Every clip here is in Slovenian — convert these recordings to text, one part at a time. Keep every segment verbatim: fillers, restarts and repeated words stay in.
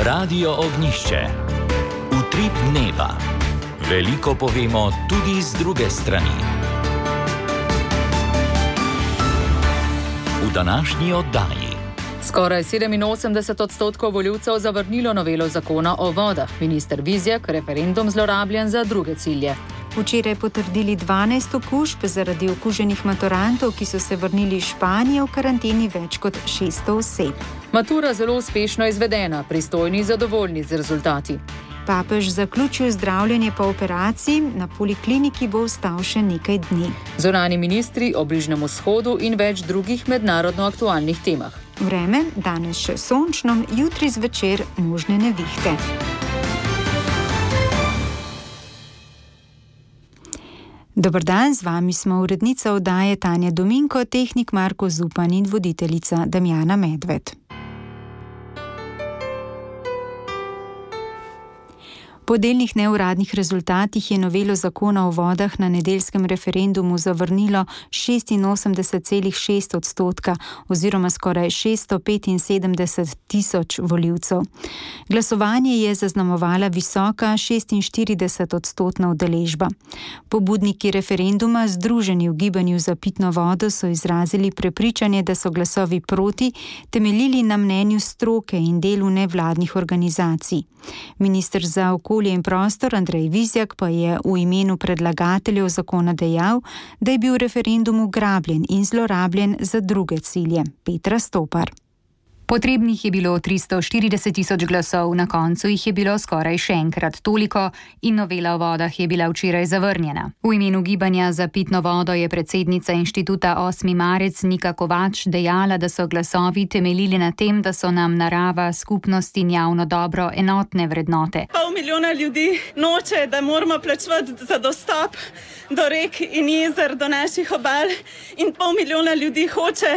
Radio Ognjišče. Utrip dneva. Veliko povemo tudi z druge strani. V današnji oddaji. Skoraj sedeminosemdeset odstotkov volivcev zavrnilo novelo zakona o vodah. Minister Vizjak referendum zlorabljen za druge cilje. Včeraj potrdili dvanajst okužb zaradi okuženih maturantov, ki so se vrnili iz Španije, v karanteni več kot šeststo oseb. Matura zelo uspešno izvedena, pristojni zadovoljni z rezultati. Papež zaključil zdravljenje po operaciji, na polikliniki bo ostal še nekaj dni. Zunanji ministri o Bližnjem vzhodu in več drugih mednarodno aktualnih temah. Vreme, danes še sončno, jutri zvečer možne nevihte. Dober dan, z vami smo urednica oddaje Tanja Dominko, tehnik Marko Zupan in voditeljica Damjana Medved. Po delnih neuradnih rezultatih je novelo zakona o vodah na nedeljskem referendumu zavrnilo šestinosemdeset celih šest odstotka oziroma skoraj šeststo petinsedemdeset tisoč volivcev. Glasovanje je zaznamovala visoka šestinštirideset odstotna udeležba. Pobudniki referenduma, združeni v gibanju za pitno vodo, so izrazili prepričanje, da so glasovi proti temeljili na mnenju stroke in delu nevladnih organizacij. Minister za okolje in prostor Andrej Vizjak pa je v imenu predlagateljev zakona dejal, da je bil referendum ugrabljen in zlorabljen za druge cilje. Petra Stopar. Potrebnih je bilo tristo štirideset tisoč glasov, na koncu jih je bilo skoraj še enkrat toliko in novela o vodah je bila včeraj zavrnjena. V imenu gibanja za pitno vodo je predsednica inštituta osmi marec Nika Kovač dejala, da so glasovi temeljili na tem, da so nam narava, skupnost in javno dobro enotne vrednote. Pol milijona ljudi noče, da moramo plačevati za dostop do rek in jezer, do naših obal, in pol milijona ljudi hoče,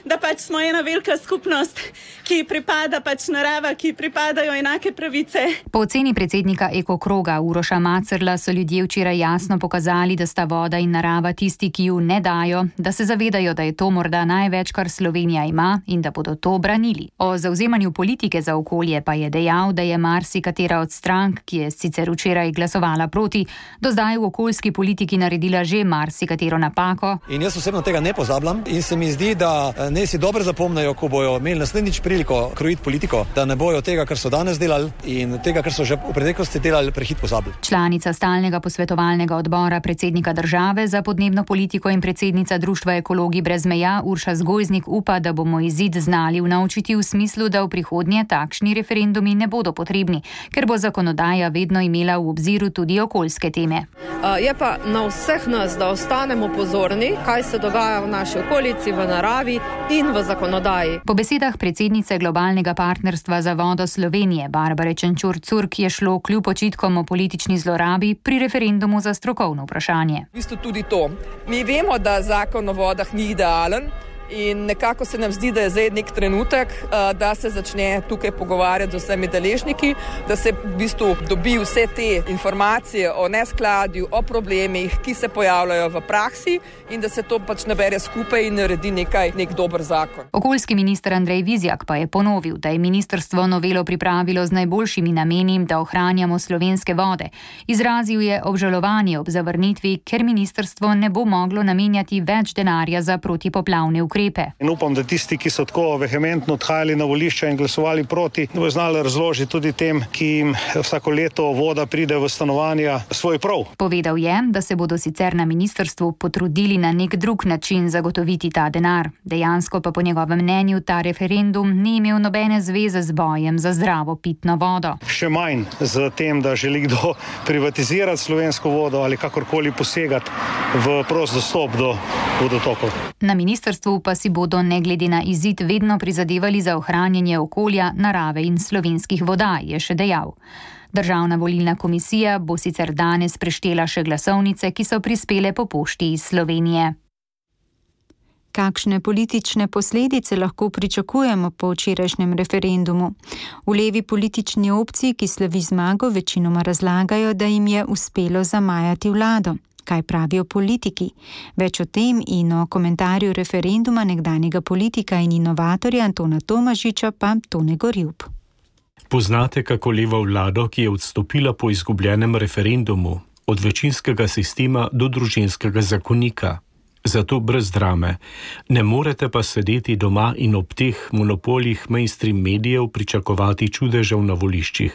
da pač smo ena velika skupnost, ki pripada pač narava, ki pripadajo enake pravice. Po oceni predsednika Eko kroga Uroša Macerla so ljudje včeraj jasno pokazali, da sta voda in narava tisti, ki ju ne dajo, da se zavedajo, da je to morda največ, kar Slovenija ima in da bodo to branili. O zavzemanju politike za okolje pa je dejal, da je marsikatera od strank, ki je sicer včeraj glasovala proti, do zdaj v okoljski politiki naredila že marsikatero napako. In jaz osebno tega ne pozabljam in se mi zdi, da ne si dobro zapomnajo, ko bojo imeli naslednjič priliko krojiti politiko, da ne bojo tega, kar so danes delali in tega, kar so že v preteklosti delali, prehit pozabili. Članica stalnega posvetovalnega odbora predsednika države za podnebno politiko in predsednica Društva ekologi brez meja Urša Zgojznik upa, da bomo izid znali vnaučiti v smislu, da v prihodnje takšni referendumi ne bodo potrebni, ker bo zakonodaja vedno imela v obziru tudi okoljske teme. Je pa na vseh nas, da ostanemo pozorni, kaj se dogaja v naši okolici, v naravi in v zakonodaji. Po besedah predsednice globalnega partnerstva za vodo Slovenije Barbare Čenčur-Curk je šlo kljub očitkom o politični zlorabi pri referendumu za strokovno vprašanje. V bistvu tudi to. Mi vemo, da zakon o vodah ni idealen. In nekako se nam zdi, da je zdaj nek trenutek, da se začne tukaj pogovarjati z vsemi deležniki, da se v bistvu dobi vse te informacije o neskladju, o problemih, ki se pojavljajo v praksi in da se to pač nabere skupaj in naredi nekaj, nek dober zakon. Okoljski minister Andrej Vizjak pa je ponovil, da je ministrstvo novelo pripravilo z najboljšimi nameni, da ohranjamo slovenske vode. Izrazil je obžalovanje ob zavrnitvi, ker ministrstvo ne bo moglo namenjati več denarja za protipoplavne ukrepe. In upam, da tisti, ki so tako vehementno odhajali na volišča in glasovali proti, bodo znali razložiti tudi tem, ki jim vsako leto voda pride v stanovanja, svoj prav. Povedal je, da se bodo sicer na ministrstvu potrudili na nek drug način zagotoviti ta denar. Dejansko pa po njegovem mnenju ta referendum ni imel nobene zveze z bojem za zdravo pitno vodo. Še manj z tem, da želi kdo privatizirati slovensko vodo ali kakorkoli posegati v prost dostop do vodotokov. Na ministrstvu pa si bodo ne glede na izid vedno prizadevali za ohranjanje okolja, narave in slovenskih voda, je še dejal. Državna volilna komisija bo sicer danes preštela še glasovnice, ki so prispele po pošti iz Slovenije. Kakšne politične posledice lahko pričakujemo po včerajšnjem referendumu? V levi politični opciji, ki slavi zmago, večinoma razlagajo, da jim je uspelo zamajati vlado. Kaj pravijo politiki? Več o tem in o komentarju referenduma nekdanjega politika in inovatorja Antona Tomažiča pa Tone Gorjup. Poznate kako levo vlado, ki je odstopila po izgubljenem referendumu, od večinskega sistema do družinskega zakonika. Zato brez drame. Ne morete pa sedeti doma in ob teh monopolih mainstream medijev pričakovati čudežev na voliščih.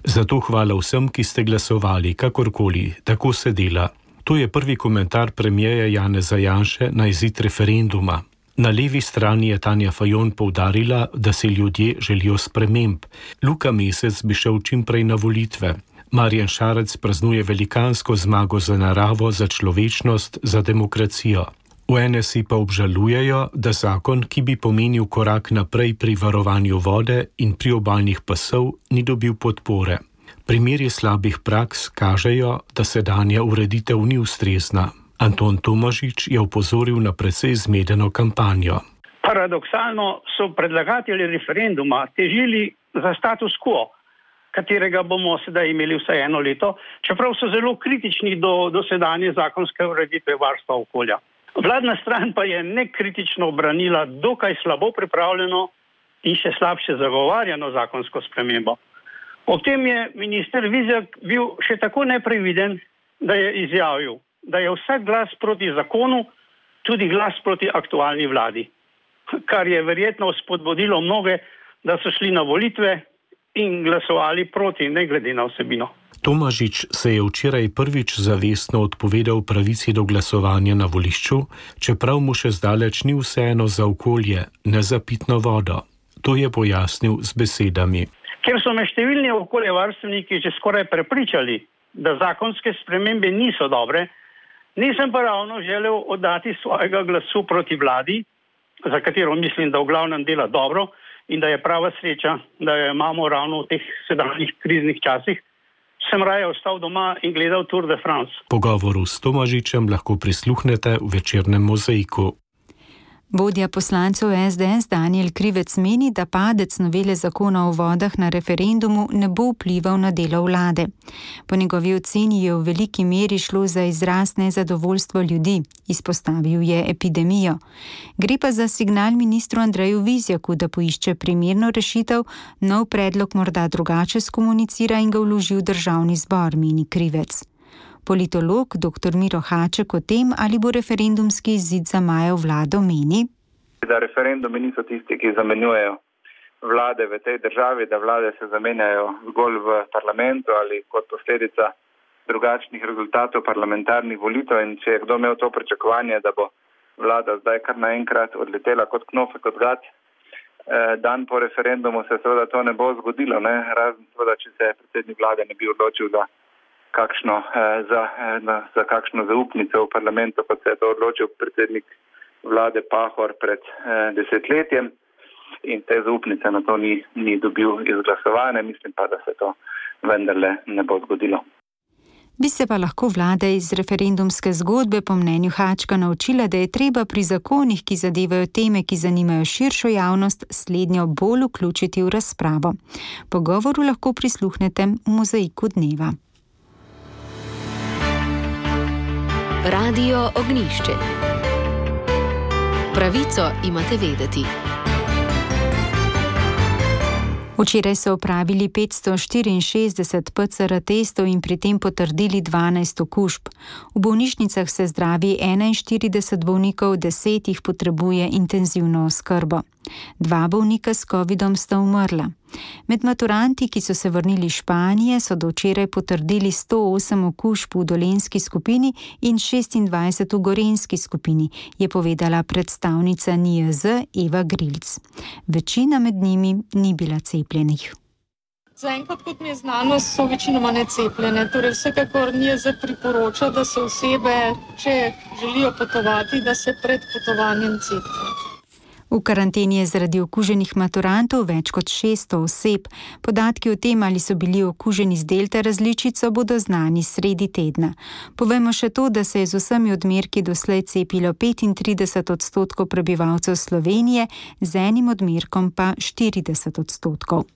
Zato hvala vsem, ki ste glasovali, kakorkoli, tako se dela. To je prvi komentar premierja Janeza Janše na izid referenduma. Na levi strani je Tanja Fajon poudarila, da si ljudje želijo sprememb. Luka Mesec bi šel čim prej na volitve. Marjan Šarec praznuje velikansko zmago za naravo, za človečnost, za demokracijo. V N S I pa obžalujejo, da zakon, ki bi pomenil korak naprej pri varovanju vode in priobalnih pasov, ni dobil podpore. Primeri slabih praks kažejo, da sedanja ureditev ni ustrezna. Anton Tomažič je opozoril na precej zmedeno kampanjo. Paradoksalno so predlagatelji referenduma težili za status quo, katerega bomo sedaj imeli vsaj eno leto, čeprav so zelo kritični do, do sedanje zakonske ureditve varstva okolja. Vladna stran pa je nekritično obranila dokaj slabo pripravljeno in še slabše zagovarjano zakonsko spremembo. Ob tem je minister Vizjak bil še tako nepreviden, da je izjavil, da je vsak glas proti zakonu tudi glas proti aktualni vladi, kar je verjetno spodbudilo mnoge, da so šli na volitve in glasovali proti, ne glede na vsebino. Tomažič se je včeraj prvič zavestno odpovedal pravici do glasovanja na volišču, čeprav mu še zdaleč ni vseeno za okolje, ne za pitno vodo. To je pojasnil z besedami. Ker so me številni okoljevarstveniki že skoraj prepričali, da zakonske spremembe niso dobre, nisem pa ravno želel oddati svojega glasu proti vladi, za katero mislim, da v glavnem dela dobro in da je prava sreča, da jo imamo ravno v teh sedanjih kriznih časih. Sem raje ostal doma in gledal Tour de France. Pogovoru s Tomažičem lahko prisluhnete v večernem Mozaiku. Vodja poslancev S D S Danijel Krivec meni, da padec novele zakona o vodah na referendumu ne bo vplival na delo vlade. Po njegovi oceni je v veliki meri šlo za izraz nezadovoljstva ljudi, izpostavil je epidemijo. Gre pa za signal ministru Andreju Vizjaku, da poišče primerno rešitev, nov predlog morda drugače skomunicira in ga vloži v državni zbor, meni Krivec. Politolog dr Miro Haček o tem, ali bo referendumski izid zamajal vlado, meni, da referendumi niso tisti, ki zamenjujejo vlade v tej državi, da vlade se zamenjajo zgolj v parlamentu ali kot posledica drugačnih rezultatov parlamentarnih volitev. In če je kdo imel to pričakovanje, da bo vlada zdaj kar naenkrat odletela kot knofek od gat, dan po referendumu se seveda to ne bo zgodilo, ne? Razen seveda, če se predsednik vlade ne bi odločil za kakšno, za, za kakšno zaupnico v parlamentu, kot se je to odločil predsednik vlade Pahor pred desetletjem in te zaupnice na to ni, ni dobil izglasovane. Mislim pa, da se to vendarle ne bo zgodilo. Bi se pa lahko vlada iz referendumske zgodbe po mnenju Hačka naučila, da je treba pri zakonih, ki zadevajo teme, ki zanimajo širšo javnost, slednjo bolj vključiti v razpravo. Pogovoru lahko prisluhnete v Mozaiku dneva. Radio Ognjišče. Pravico imate vedeti. Včeraj so opravili petsto štiriinšestdeset P C R testov in pri tem potrdili dvanajst okužb. V bolnišnicah se zdravi enainštirideset bolnikov, deset jih potrebuje intenzivno oskrbo. Dva bolnika s covidom sta umrla. Med maturanti, ki so se vrnili iz Španije, so do včeraj potrdili sto osem okužb v dolenjski skupini in šestindvajset v gorenjski skupini, je povedala predstavnica N I J Z Eva Grilc. Večina med njimi ni bila cepljenih. Zaenkrat, kot mi je znano, so večinoma necepljene. Torej vsekakor N I J Z priporoča, da se osebe, če želijo potovati, da se pred potovanjem cepijo. V karanteni je zaradi okuženih maturantov več kot šeststo oseb. Podatki o tem, ali so bili okuženi z delta različico, bodo znani sredi tedna. Povemo še to, da se je z vsemi odmerki doslej cepilo petintrideset odstotkov prebivalcev Slovenije, z enim odmerkom pa štirideset odstotkov.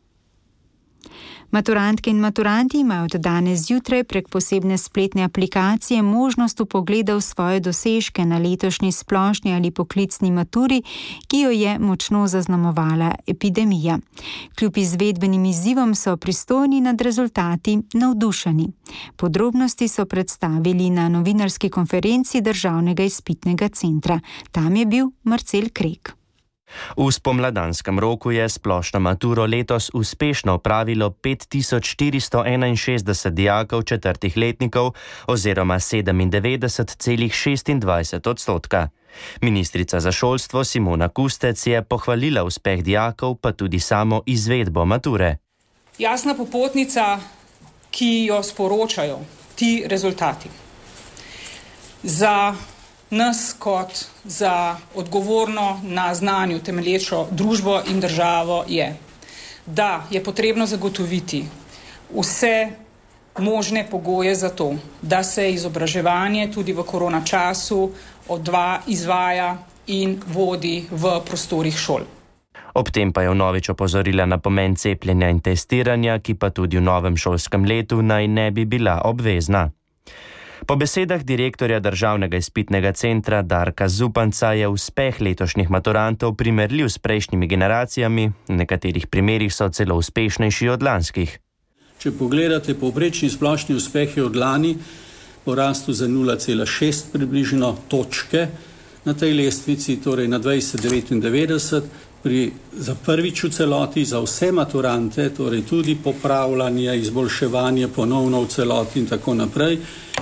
Maturantke in maturanti imajo od danes zjutraj prek posebne spletne aplikacije možnost vpogleda v svoje dosežke na letošnji splošni ali poklicni maturi, ki jo je močno zaznamovala epidemija. Kljub izvedbenim izzivom so pristojni nad rezultati navdušeni. Podrobnosti so predstavili na novinarski konferenci Državnega izpitnega centra. Tam je bil Marcel Krek. V spomladanskem roku je splošno maturo letos uspešno opravilo pet tisoč štiristo enainšestdeset dijakov četrtih letnikov oziroma sedemindevetdeset celih šestindvajset odstotka. Ministrica za šolstvo Simona Kustec je pohvalila uspeh dijakov, pa tudi samo izvedbo mature. Jasna popotnica, ki jo sporočajo ti rezultati. Za nas kot za odgovorno na znanju temelječo družbo in državo je, da je potrebno zagotoviti vse možne pogoje za to, da se izobraževanje tudi v korona času odva, izvaja in vodi v prostorih šol. Ob tem pa je vnovič opozorila na pomen cepljenja in testiranja, ki pa tudi v novem šolskem letu naj ne bi bila obvezna. Po besedah direktorja Državnega izpitnega centra Darka Zupanca je uspeh letošnjih maturantov primerljiv s prejšnjimi generacijami, v nekaterih primerih so celo uspešnejši od lanskih. Če pogledate, povprečni splošni uspeh je od lani porastel za nula cela šest približno točke na tej lestvici, torej na dvajset devetindevetdeset, pri, za prvič v celoti, za vse maturante, torej tudi popravljanje, izboljševanje ponovno v celoti in tako naprej,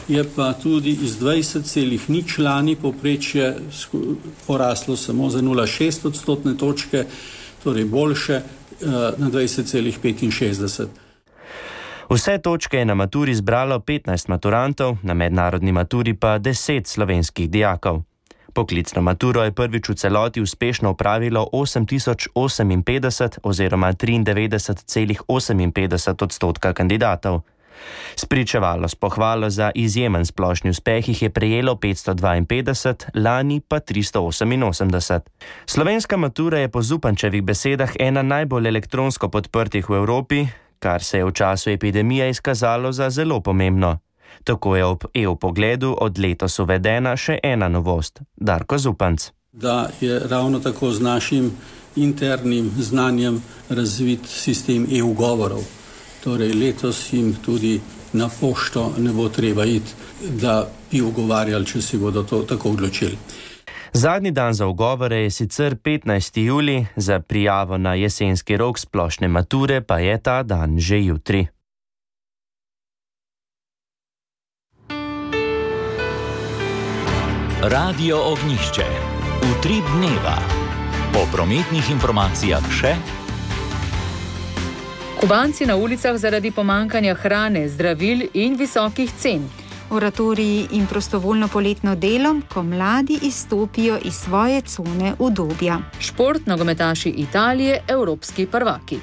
je pa tudi iz dvajset celih nič lani povprečje poraslo samo za nula cela šest odstotne točke, torej boljše na dvajset celih petinšestdeset. Vse točke je na maturi zbralo petnajst maturantov, na mednarodni maturi pa deset slovenskih dijakov. Poklicno maturo je prvič v celoti uspešno opravilo osem tisoč oseminpetdeset oziroma triindevetdeset celih oseminpetdeset odstotka kandidatov. Spričevalo s pohvalo za izjemen splošni uspeh jih je prejelo petsto dvainpetdeset, lani pa tristo oseminosemdeset. Slovenska matura je po Zupančevih besedah ena najbolj elektronsko podprtih v Evropi, kar se je v času epidemije izkazalo za zelo pomembno. Tako je ob e-vpogledu od letos uvedena še ena novost. Darko Zupanc. Da je ravno tako z našim internim znanjem razvit sistem e-ugovorov. Torej letos jim tudi na pošto ne bo treba iti, da bi ugovarjali, če si bodo to tako odločili. Zadnji dan za ugovore je sicer petnajsti julij, za prijavo na jesenski rok splošne mature pa je ta dan že jutri. Radio Ognjišče. Utrip dneva. Po prometnih informacijah še. Kubanci na ulicah zaradi pomankanja hrane, zdravil in visokih cen. Oratoriji in prostovoljno poletno delo, ko mladi izstopijo iz svoje cone udobja. Šport, nogometaši Italije, evropski prvaki.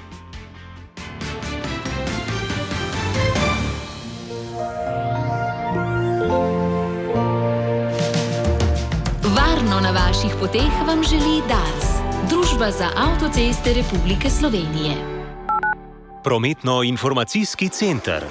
Varno na vaših poteh vam želi Dars, Družba za avtoceste Republike Slovenije. Prometno-informacijski center.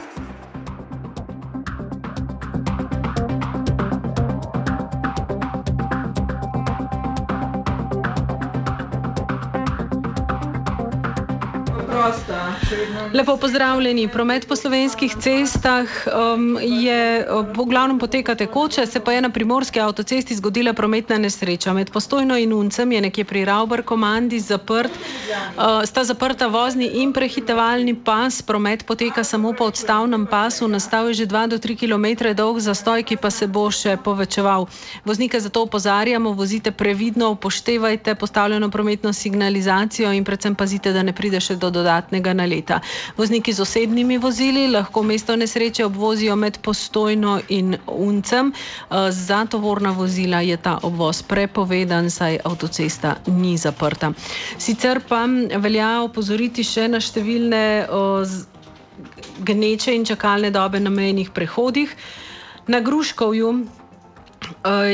Lepo pozdravljeni. Promet po slovenskih cestah um, je v glavnem poteka tekoče, se pa je na primorski avtocesti zgodila prometna nesreča. Med Postojno in Uncem je nekje pri Ravbar komandi zaprt, uh, sta zaprta vozni in prehitevalni pas. Promet poteka samo po odstavnem pasu, nastal je že dva do tri kilometre dolg zastoj, ki pa se bo še povečeval. Voznike zato opozarjamo, vozite previdno, upoštevajte postavljeno prometno signalizacijo in predvsem pazite, da ne pride še do dodatnega naleta. Vozniki z osebnimi vozili lahko mesto nesreče obvozijo med Postojno in Uncem. Za tovorna vozila je ta obvoz prepovedan, saj avtocesta ni zaprta. Sicer pa velja opozoriti še na številne o, gneče in čakalne dobe na mejnih prehodih. Na Gruškovju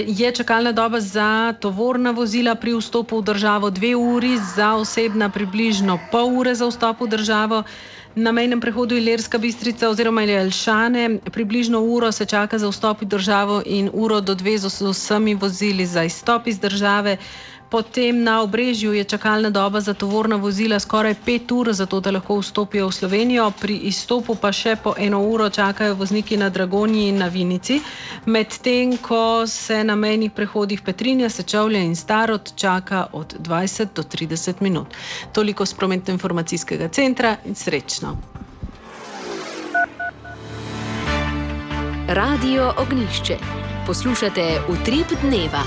je čakalna doba za tovorna vozila pri vstopu v državo dve uri, za osebna približno pol ure za vstop v državo. Na mejnem prehodu Ilirska Bistrica oziroma Jelšane približno uro se čaka za vstop v državo in uro do dve z vsemi vozili za izstop iz države. Potem na Obrežju je čakalna doba za tovorna vozila skoraj pet ur, zato da lahko vstopijo v Slovenijo. Pri izstopu pa še po eno uro čakajo vozniki na Dragonji in na Vinici. Medtem ko se na mejnih prehodih Petrinja, Sečovlje in Starod čaka od dvajset do trideset minut. Toliko s prometno-informacijskega centra in srečno. Radio Ognjišče. Poslušate Utrip dneva.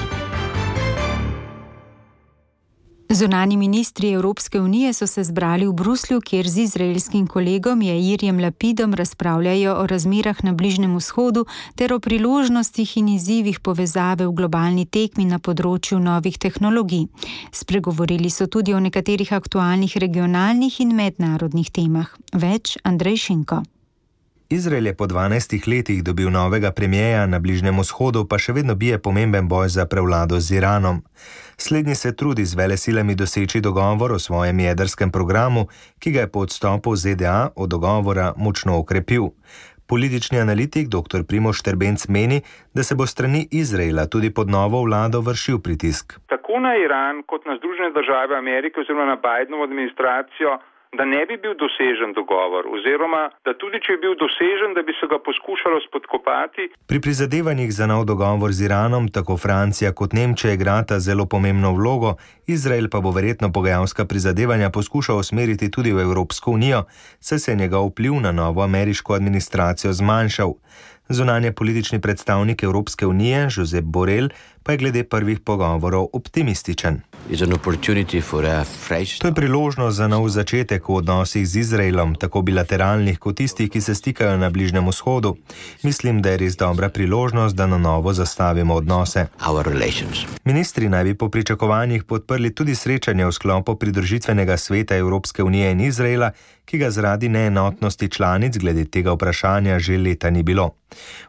Zunanji ministri Evropske unije so se zbrali v Bruslju, kjer z izraelskim kolegom Jairjem Lapidom razpravljajo o razmerah na Bližnjem vzhodu ter o priložnostih in izzivih povezave v globalni tekmi na področju novih tehnologij. Spregovorili so tudi o nekaterih aktualnih regionalnih in mednarodnih temah. Več Andrej Šinko. Izrael je po dvanajstih letih dobil novega premijeja, na Bližnjem vzhodu pa še vedno bije pomemben boj za prevlado z Iranom. Slednji se trudi z velesilami doseči dogovor o svojem jedrskem programu, ki ga je po odstopu Z D A od dogovora močno okrepil. Politični analitik dr. Primož Štrbenc meni, da se bo strani Izraela tudi pod novo vlado vršil pritisk. Tako na Iran kot na Združene države Amerike oziroma na Bidenovo administracijo, da ne bi bil dosežen dogovor oziroma da tudi če je bil dosežen, da bi se ga poskušalo spodkopati. Pri prizadevanjih za nov dogovor z Iranom tako Francija kot Nemčija igrata zelo pomembno vlogo, Izrael pa bo verjetno pogajalska prizadevanja poskušal usmeriti tudi v Evropsko unijo, saj se je njegov vpliv na novo ameriško administracijo zmanjšal. Zunanje politični predstavnik Evropske unije, Josep Borrell, pa je glede prvih pogovorov optimističen. To je priložnost za nov začetek v odnosih z Izraelom, tako bilateralnih kot tistih, ki se stikajo na Bližnjem vzhodu. Mislim, da je res dobra priložnost, da na novo zastavimo odnose. Ministri naj bi po pričakovanjih podprli tudi srečanje v sklopu pridružitvenega sveta Evropske unije in Izraela, ki ga zaradi neenotnosti članic glede tega vprašanja že leta ni bilo.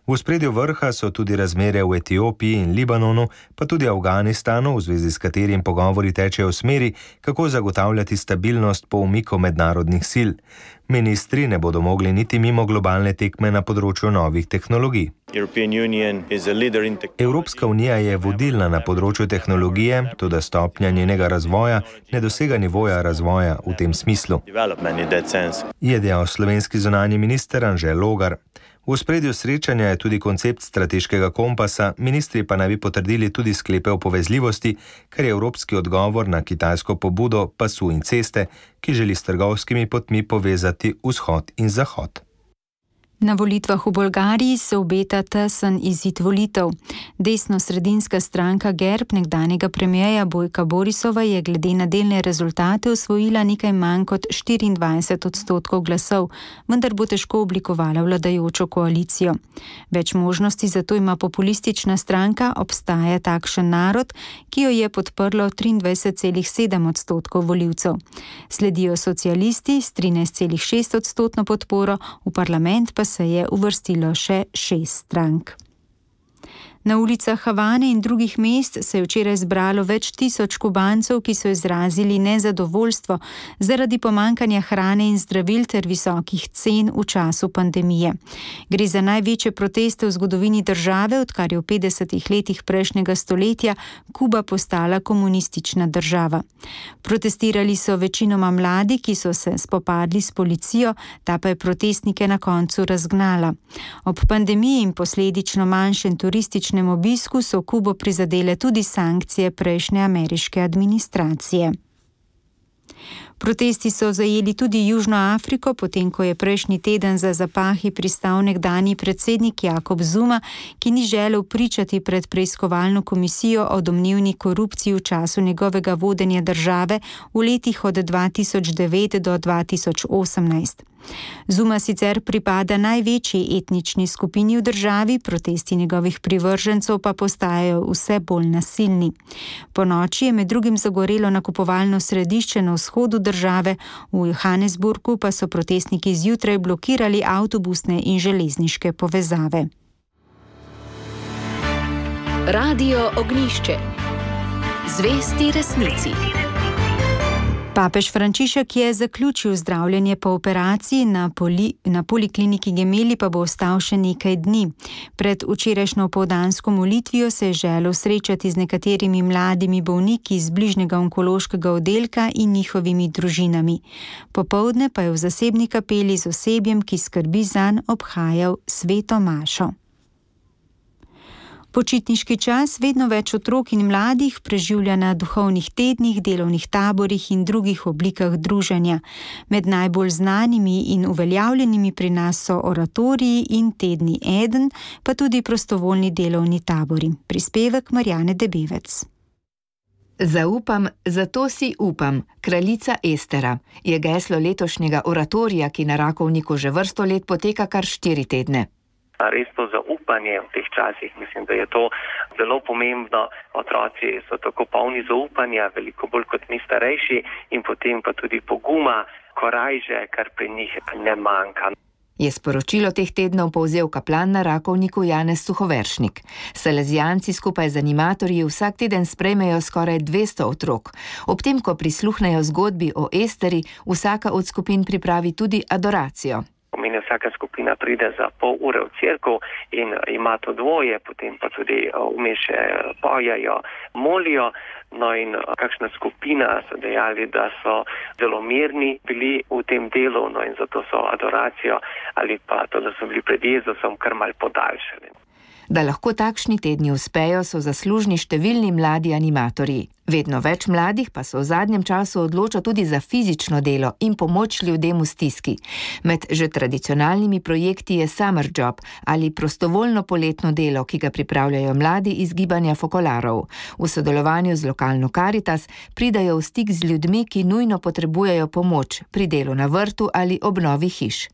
V ospredju vrha so tudi razmere v Etiopiji in Libanonu, pa tudi Afganistanu, v zvezi s katerim pogovori tečejo v smeri, kako zagotavljati stabilnost po umiku mednarodnih sil. Ministri ne bodo mogli niti mimo globalne tekme na področju novih tehnologij. Evropska unija je vodilna na področju tehnologije, toda stopnja njenega razvoja ne dosega nivoja razvoja v tem smislu, je dejal slovenski zunanji minister Anže Logar. V ospredju srečanja je tudi koncept strateškega kompasa, ministri pa naj bi potrdili tudi sklepe o povezljivosti, kar je evropski odgovor na kitajsko pobudo pasu in ceste, ki želi s trgovskimi potmi povezati vzhod in zahod. Na volitvah v Bolgariji se obeta tesen izid volitev. Desno-sredinska stranka Gerb nekdanjega premijeja Bojka Borisova je glede na delne rezultate osvojila nekaj manj kot štiriindvajset odstotkov glasov, vendar bo težko oblikovala vladajočo koalicijo. Več možnosti zato ima populistična stranka Obstaja takšen narod, ki jo je podprlo triindvajset celih sedem odstotkov volivcev. Sledijo socialisti s trinajst celih šest odstotno podporo, v parlament pa se je uvrstilo še šest strank. Na ulicah Havane in drugih mest se je včeraj zbralo več tisoč Kubancev, ki so izrazili nezadovoljstvo zaradi pomankanja hrane in zdravil ter visokih cen v času pandemije. Gre za največje proteste v zgodovini države, odkar je v petdesetih letih prejšnjega stoletja Kuba postala komunistična država. Protestirali so večinoma mladi, ki so se spopadli s policijo, ta pa je protestnike na koncu razgnala. Ob pandemiji in posledično manjšem turističnem obisku so Kubo prizadele tudi sankcije prejšnje ameriške administracije. Protesti so zajeli tudi Južno Afriko, potem ko je prejšnji teden za zapahi pristal nekdanji predsednik Jakob Zuma, ki ni želel pričati pred preiskovalno komisijo o domnevni korupciji v času njegovega vodenja države v letih od dva tisoč devet do dva tisoč osemnajst. Zuma sicer pripada največji etnični skupini v državi, protesti njegovih privržencev pa postajajo vse bolj nasilni. Po noči je med drugim zagorelo nakupovalno središče na vzhodu države, v Johannesburgu pa so protestniki zjutraj blokirali avtobusne in železniške povezave. Radio Ognišče. Zvesti resnici. Papež Frančišek je zaključil zdravljenje po operaciji, na, poli, na polikliniki Gemeli pa bo ostal še nekaj dni. Pred včerajšnjo opoldansko molitvijo se je želel srečati z nekaterimi mladimi bolniki iz bližnjega onkološkega oddelka in njihovimi družinami. Popoldne pa je v zasebni kapeli z osebjem, ki skrbi zanj, obhajal sveto mašo. Počitniški čas vedno več otrok in mladih preživlja na duhovnih tednih, delovnih taborih in drugih oblikah druženja. Med najbolj znanimi in uveljavljenimi pri nas so oratoriji in tedni Eden, pa tudi prostovoljni delovni tabori. Prispevek Marjane Debevec. Zaupam, zato si upam, kraljica Estera, je geslo letošnjega oratorija, ki na Rakovniku že vrsto let poteka kar štiri tedne. Res to zaupanje v teh časih, mislim, da je to zelo pomembno. Otroci so tako polni zaupanja, veliko bolj kot mi starejši, in potem pa tudi poguma, korajže, kar pri njih ne manjka. Je sporočilo teh tednov povzel kaplan na Rakovniku Janez Suhoveršnik. Salezijanci skupaj z animatorji vsak teden sprejmejo skoraj dvesto otrok. Ob tem, ko prisluhnejo zgodbi o Esteri, vsaka od skupin pripravi tudi adoracijo. Pomeni, vsaka skupina pride za pol ure v cerkev in ima to dvoje, potem pa tudi vmes še pojejo, molijo. No in kakšna skupina so dejali, da so zelo mirni bili v tem delu, no in zato so adoracijo ali pa to, da so bili pred Jezusom, kar mal podaljšali. Da lahko takšni tedni uspejo, so zaslužni številni mladi animatorji. Vedno več mladih pa se v zadnjem času odloča tudi za fizično delo in pomoč ljudem v stiski. Med že tradicionalnimi projekti je Summer Job ali prostovoljno poletno delo, ki ga pripravljajo mladi iz gibanja Fokolarov. V sodelovanju z lokalno Karitas pridajo v stik z ljudmi, ki nujno potrebujejo pomoč pri delu na vrtu ali obnovi hiš.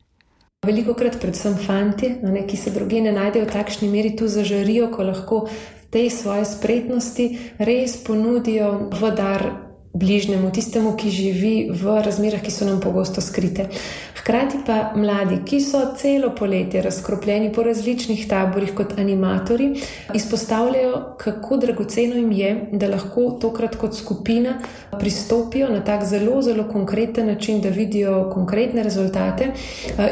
Veliko krat predvsem fanti, ne, ki se druge ne najdejo v takšni meri, tu zažarijo, ko lahko tej svoje spretnosti res ponudijo v dar bližnjemu, tistemu, ki živi v razmerah, ki so nam pogosto skrite. Hkrati pa mladi, ki so celo poletje razkropljeni po različnih taborih kot animatorji, izpostavljajo, kako dragoceno jim je, da lahko tokrat kot skupina pristopijo na tak zelo, zelo konkreten način, da vidijo konkretne rezultate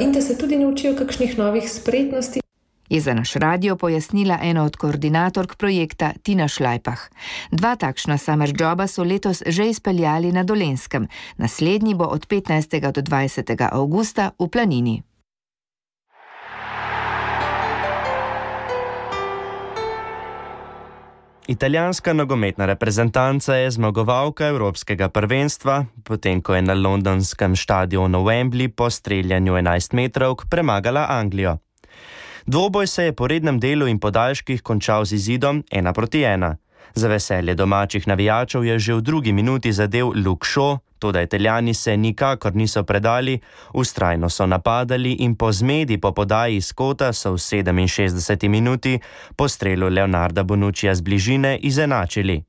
in da se tudi naučijo kakšnih novih spretnosti. Je za naš radio pojasnila ena od koordinatork projekta Tina Šlajpah. Dva takšna Summer Joba so letos že izpeljali na Dolenjskem. Naslednji bo od petnajstega do dvajsetega avgusta v Planini. Italijanska nogometna reprezentanca je zmagovalka Evropskega prvenstva, potem ko je na londonskem štadionu Wembley po streljanju enajstmetrovk premagala Anglijo. Dvoboj se je po rednem delu in podaljških končal z izidom ena proti ena. Za veselje domačih navijačev je že v drugi minuti zadel Luke Shaw, toda Italijani se nikakor niso predali, vztrajno so napadali in po zmedi po podaji iz kota so v sedeminšestdeseti minuti po strelu Leonarda Bonuccija z bližine izenačili.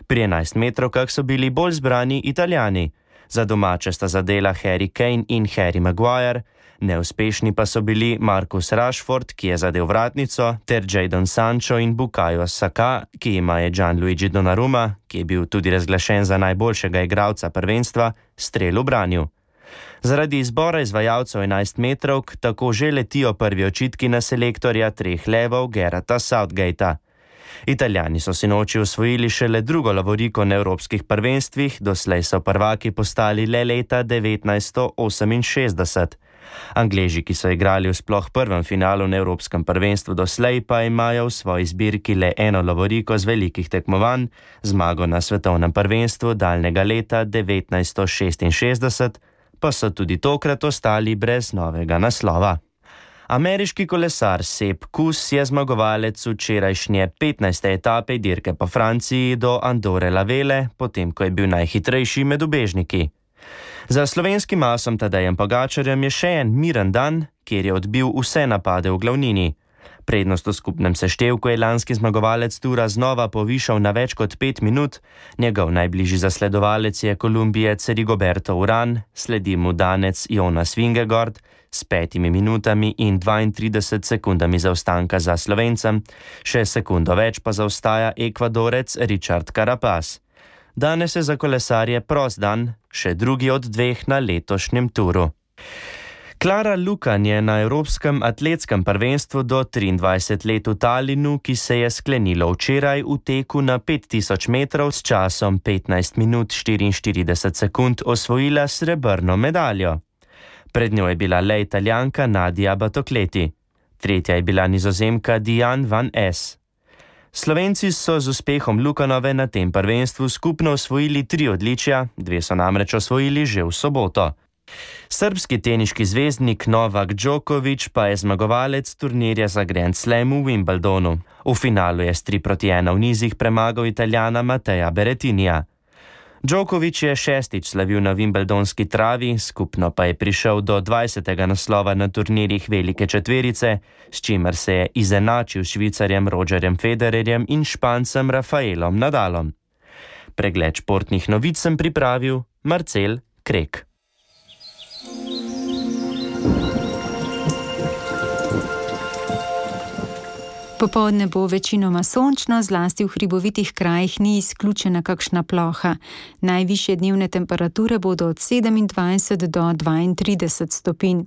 Pri enajstmetrovkah so bili bolj zbrani Italijani. Za domače sta zadela Harry Kane in Harry Maguire, neuspešni pa so bili Marcus Rashford, ki je zadel vratnico, ter Jadon Sancho in Bukayo Saka, ki ima je Gianluigi Donnarumma, ki je bil tudi razglašen za najboljšega igralca prvenstva, strel ubranil. Zaradi izbora izvajalcev enajstmetrovk tako že letijo prvi očitki na selektorja treh levov Gareta Southgatea. Italijani so sinoči osvojili šele drugo lovoriko na evropskih prvenstvih, doslej so prvaki postali le leta devetnajststo oseminšestdeset. Angleži, ki so igrali v sploh prvem finalu na evropskem prvenstvu doslej, pa imajo v svoji zbirki le eno lovoriko z velikih tekmovanj, zmago na svetovnem prvenstvu daljnega leta devetnajststo šestinšestdeset, pa so tudi tokrat ostali brez novega naslova. Ameriški kolesar Sepp Kuss je zmagovalec včerajšnje petnajste etape dirke po Franciji do Andorre la Velle, potem ko je bil najhitrejši med ubežniki. Za slovenskim asom Tadejem Pogačarjem je še en miren dan, kjer je odbil vse napade v glavnini. Prednost v skupnem seštevku je lanski zmagovalec tura znova povišal na več kot pet minut, njegov najbližji zasledovalec je Kolumbijec Rigoberto Urán, sledi mu Danec Jonas Vingegaard s petimi minutami in dvaintrideset sekundami zaostanka za Slovencem, še sekundo več pa zaostaja Ekvadorec Richard Carapaz. Danes je za kolesarje prost dan, še drugi od dveh na letošnjem turu. Klara Lukan je na Evropskem atletskem prvenstvu do triindvajset let v Talinu, ki se je sklenilo včeraj, v teku na pet tisoč metrov s časom petnajst minut štiriinštirideset sekund osvojila srebrno medaljo. Pred njo je bila le Italijanka Nadia Batocleti. Tretja je bila Nizozemka Diane van Es. Slovenci so z uspehom Lukanove na tem prvenstvu skupno osvojili tri odličja, dve so namreč osvojili že v soboto. Srbski teniški zvezdnik Novak Djokovic pa je zmagovalec turnirja za Grand Slam v Wimbledonu. V finalu je s tri proti ena v nizih premagal Italijana Mateja Berrettinija. Djokovic je šestič slavil na wimbledonski travi, skupno pa je prišel do dvajsetega naslova na turnirjih velike četverice, s čimer se je izenačil s Švicarjem Rogerjem Federerjem in Špancem Rafaelom Nadalom. Pregled športnih novic sem pripravil Marcel Krek. Popoldne bo večinoma sončno, zlasti v hribovitih krajih ni izključena kakšna ploha. Najvišje dnevne temperature bodo od sedemindvajset do dvaintrideset stopinj.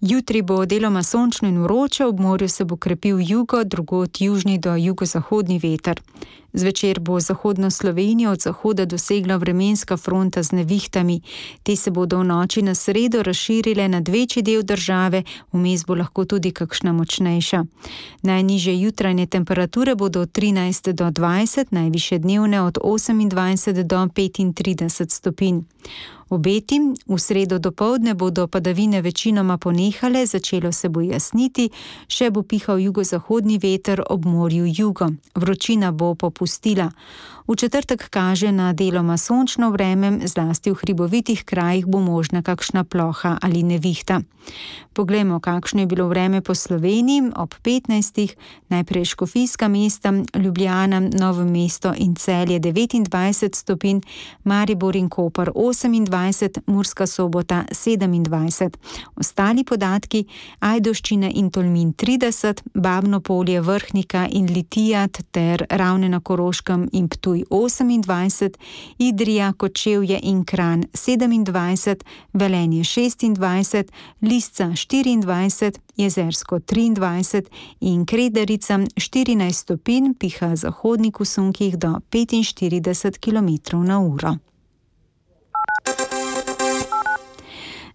Jutri bo deloma sončno in vroče, ob morju se bo krepil jugo, drugod južni do jugozahodni veter. Zvečer bo zahodno Slovenijo od zahoda dosegla vremenska fronta z nevihtami. Te se bodo v noči na sredo razširile nad večji del države, vmes bo lahko tudi kakšna močnejša. Najnižje jutranje temperature bodo od trinajst do dvajset, najvišje dnevne od osemindvajset do petintrideset stopinj. Obeti, v sredo dopoldne bodo padavine večinoma ponehale, začelo se bo jasniti, še bo pihal jugozahodni veter, ob morju jugo. Vročina bo popustila. V četrtek kaže na deloma sončno vreme, zlasti v hribovitih krajih bo možna kakšna ploha ali nevihta. Poglejmo, kakšno je bilo vreme po Sloveniji ob petnajstih, najprej škofijska mesta, Ljubljana, Novo mesto in Celje devetindvajset stopinj, Maribor in Koper osemindvajset, Murska Sobota sedemindvajset. Ostali podatki: Ajdovščina in Tolmin trideset, Babno Polje, Vrhnika in Litijat ter Ravne na Koroškem in Ptuj osemindvajset, Idrija, Kočevje in Kranj sedemindvajset, Velenje šestindvajset, Lisca štiriindvajset, Jezersko triindvajset in Kredarica štirinajst stopinj, piha zahodnik v sunkih do petinštirideset kilometrov na uro.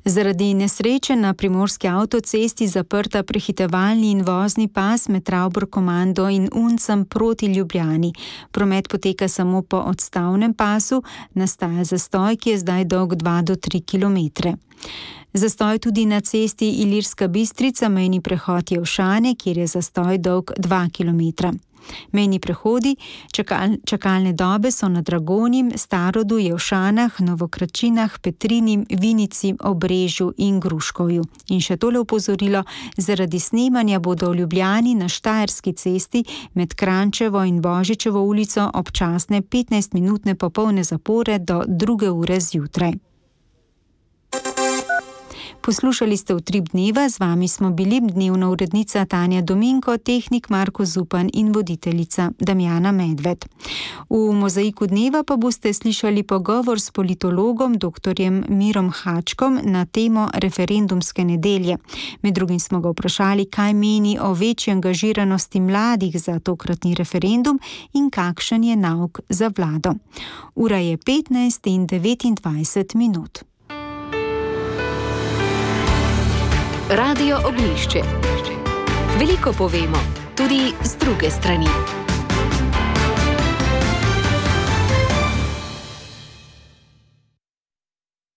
Zaradi nesreče na primorski avtocesti zaprta prehitevalni in vozni pas med Ravbor komando in Uncem proti Ljubljani. Promet poteka samo po odstavnem pasu, nastaja zastoj, ki je zdaj dolg dva do tri kilometre. Zastoj tudi na cesti Ilirska Bistrica, mejni prehod Jelšane, kjer je zastoj dolg dva kilometra. Mejni prehodi, čakal, čakalne dobe so na Dragonji, Starodu, Jelšanah, Novokračinah, Petrini, Vinici, Obrežju in Gruškovju. In še tole opozorilo: zaradi snemanja bodo v Ljubljani na Štajerski cesti med Krančevo in Božičevo ulico občasne petnajstminutne popolne zapore do druge ure zjutraj. Poslušali ste Utrip dneva, z vami smo bili dnevna urednica Tanja Dominko, tehnik Marko Zupan in voditeljica Damjana Medved. V Mozaiku dneva pa boste slišali pogovor s politologom doktorjem Mirom Hačkom na temo referendumske nedelje. Med drugim smo ga vprašali, kaj meni o večji angažiranosti mladih za tokratni referendum in kakšen je nauk za vlado. Ura je petnajst in devetindvajset minut. Radio Oglišče. Veliko povemo, tudi z druge strani.